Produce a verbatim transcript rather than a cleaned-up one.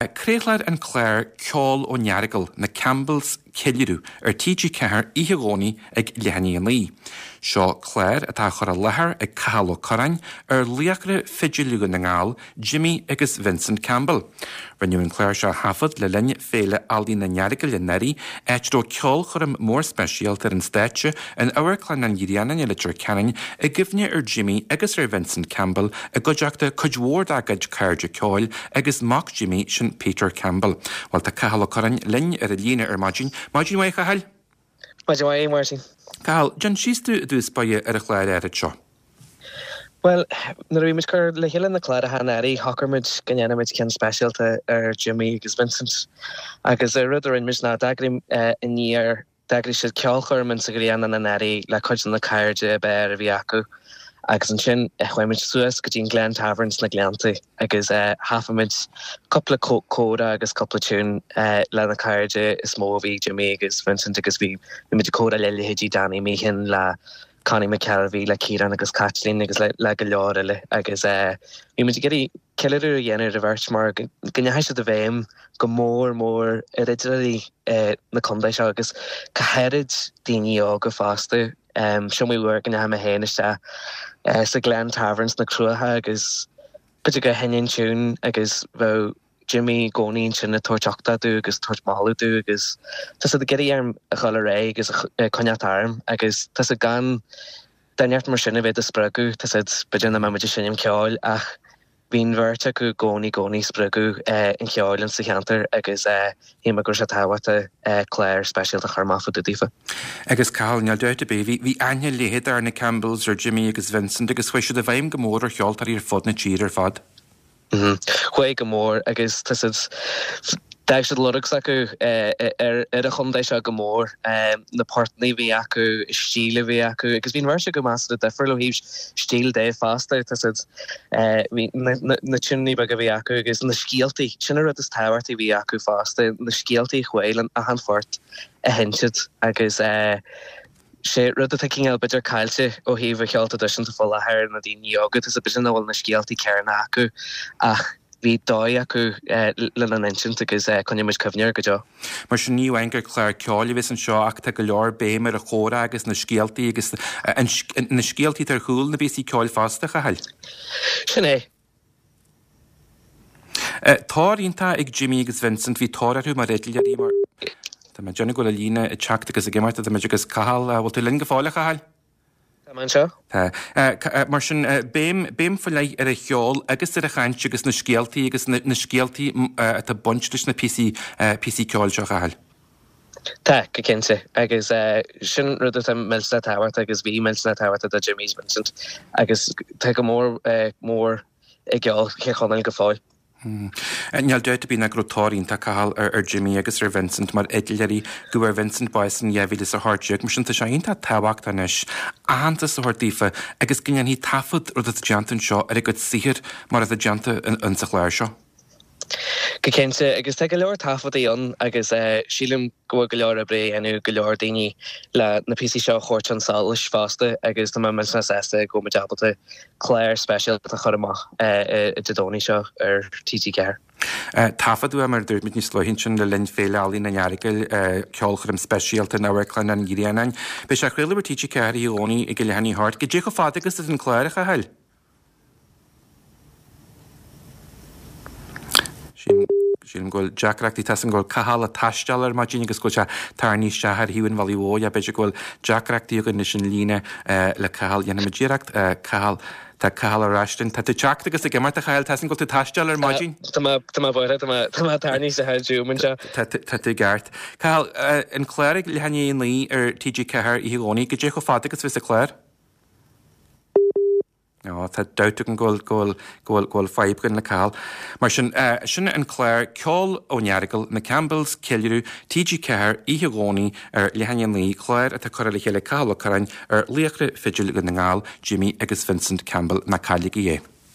Craolfar an clár Ceol ón Earagail, na Campbells Ceiliúradh ar TG Ceathair oíche Dhomhnaigh ag leath i ndiaidh a naoi. Seo clár atá á chur i láthair ag Cathal Ó Curráin ar laochra fidil Dhún na nGall, Jimmy agus Vincent Campbell. Rinneadh an clár seo a thaifead le linn Féile Ealaíon an Earagail anuraidh, áit a raibh ceolchoirm mór speisialta ar an stáitse in Amharclann an Ghrianáin i Leitir Ceanainn i gcuimhne ar Jimmy agus ar Vincent Campbell i gcuideachta cuid mhór dá gcuid cairde ceoil agus mac Jimmy sin Peter Campbell. Bhuel tá Cathal Ó Curráin linn ar an líne ar maidin. Maidin mhaith a Chathail? Maidin mhaith, Máirtín. Cathal, déan síos dúinn i dtús báire ar an chlár áirid seo. Bhuel, nuair a bhí muid ag cur le chéile na cláracha anuraidh, shocraigh muid go ndéanfaidh muid ceann speisialta ar Jimmy agus Vincent. Agus an rud a rinne muid ná d'eagraigh Aniar, d'eagraigh siad ceolchoirm in sa Ghrianán anuraidh le cuid de na cairde ab fhearr a bhí acu. Agus ansin chuaigh muid suas go dtí an Glen Tavern sna Gleannta agus thaifead muid cúpla comhrá agus cúpla tiún le na cairde is mó a bhí Jimmy agus Vincent agus bhí muid ag comhrá le leithéidí Danny Meehan, le Connie McKelvey, le Ciarán agus Caitlín agus le le go leor eile agus bhí muid ag iarraidh ceiliúradh a dhéanamh ar an bheirt mar go ndeachaigh siad i bhfeidhm go mór mór ar fhidléirí na contae seo agus go háirid daoine óga fosta. Is iomaí uair go ndeachaigh mé féin isteach sa Glen Tavern sna Cruacha agus b'fhéidir gur sheinn an tiún agus bheadh Jimmy i gcónaí ansin ag tabhairt uchtach domh agus tabhairt moladh domh agus tá siad ag iarraidh orm a dhul ar aghaidh agus a coinneáil orm agus tá siad gan duine ort mar sin a bheith do spreagadh tá siad b'fhéidir nach mbeidh muid ag seinm ceoil ach bhí an bheirt acu i gcónaí i gcónaí spreagadh an cheoil insa cheantar agus shíl mé go raibh sé tábhachtach clár speisialta a chur amach fá dtaobh daofa. Agus Cathal, níl dabht ar bith, bhí bhí aithne leitheadach ar na Campbells, ar Jimmy agus Vincent agus chuaigh siad i bhfeidhm go mór ar cheoltóirí ar fud na tíre ar fad. Chuaigh go mór agus tá siad, d'fhág siad lorg s'acu ar an chontae seo go mór, na portanna a bhí acu, an stíl a bhí acu agus bhí an bheirt acu measartha difriúil ó thaobh stíl de fosta, tá siad, bhí na tiúineanna beaga a bhí acu agus na scéaltaí, sin an rud is tábhachtaí a bhí acu fosta, na scéaltaí a chuaigh le achan phort a sheinn siad agus. Sé rud atá cineál b'fhéidir caillte ó thaobh an cheoil traidisiúnta fá láthair, na daoine óga, tá b'fhéidir nach bhfuil na scéaltaí céanna acu ach bhí dóigh acu lena n-insint agus coinneoidh muid cuimhne air go deo. Mar sin ní amháin gur clár ceoil a bheas anseo ach tá go leor béim ar an chomhrá agus na scéaltaí agus na scéaltaí atá ar chúl na bpíosaí ceoil fosta, a Chathail. Sin é. Tóir iontach ag Jimmy agus Vincent, bhí tóir orthu mar fhidléirí mar. Tá mé ag déanamh go bhfuil an líne ag teacht agus ag imeacht idir muid agus Cathal. Bhfuil tú linn go fóill, a Chathail? Tá mé anseo. Tá. Mar sin, béim, béim faoi leith ar an cheol agus ar an chaint agus na scéaltaí agus na, na scéaltaí atá ag baint leis na píosaí, píosaí ceoil seo, a Chathail. Tá, go cinnte. Agus sin rud atá millteanach tábhachtach agus bhí millteanach tábhachtach do Jimmy Vincent agus tá go mór mór i gceol Thír Chonaill go fóill. Níl dabht ar bith ná go raibh tóir iontach, Cathal, ar Jimmy agus ar Vincent mar fhidléirí. Gabhadh ar Vincent bás in dhá mhíle is a hocht déag, mar sin tá sé iontach tábhachtach anois aitheantas a thabhairt daofa agus go ndéanfaí taifead, rud atá déanta anseo, ar a gcuid saothair mar atá déanta insa chlár seo. Go cinnte, agus tá go leor taifeadtaí ann agus sílim go bhfuil go leor oibre á dhéanamh ag go leor daoine le na píosaí seo a thabhairt chun solais fosta agus tá mé millteanach sásta go bhfuil muid ábalta clár speisialta a chur amach Dé Domhnaigh seo ar T G ceathair. Taifeadadh é, mar a dúirt muid níos luaithe ansin, le linn Féile Ealaíon an Earagail, ceolchoirm speisialta in Amharclann an Ghrianáin. Beidh sé á chraoladh ar T G ceathair Oíche Dhomhnaigh ag a leath i ndiaidh a hocht. Goidé chomh fada agus atá an clár, a Chathail? Sílim go bhfuil deacrachtaí, tá a fhios agam go bhfuil Cathal ag taisteal ar maidin agus go bhfuil sé tarraingthe isteach ar thaobh an bhealaigh mhóir. B'fhéidir go bhfuil deacrachtaí againn leis an líne le Cathal. Dhéanfaimid iarracht Cathal, tá Cathal ar ais linn. Tá tú ag teacht agus ag imeacht a Chathail, tá a fhios agam go bhfuil tú ag taisteal ar maidin. Tá mé, tá mé buartha, tá mé, tá mé tarraingthe isteach ar Zoom anseo. Tá, tá tú i gceart. Cathal, an clár ag leath i ndiaidh a naoi ar T G ceathair oíche Dhomhnaigh, goidé chomh fada agus a bheas an clár? Ó, tá dabht agam go bhfuil, go bhfuil, go bhfuil, go bhfuil fadhb againn le Cathal. Mar sin, sin an clár Ceol ón Earagail, Na Campbells, Ceiliúradh, T G ceathair, oíche Dhomhnaigh ar leath i ndiaidh a naoi, clár atá curtha le chéile ag Cathal Ó Curráin ar laochra fidil Dhún na nGall, Jimmy agus Vincent Campbell. Ná cailligí é.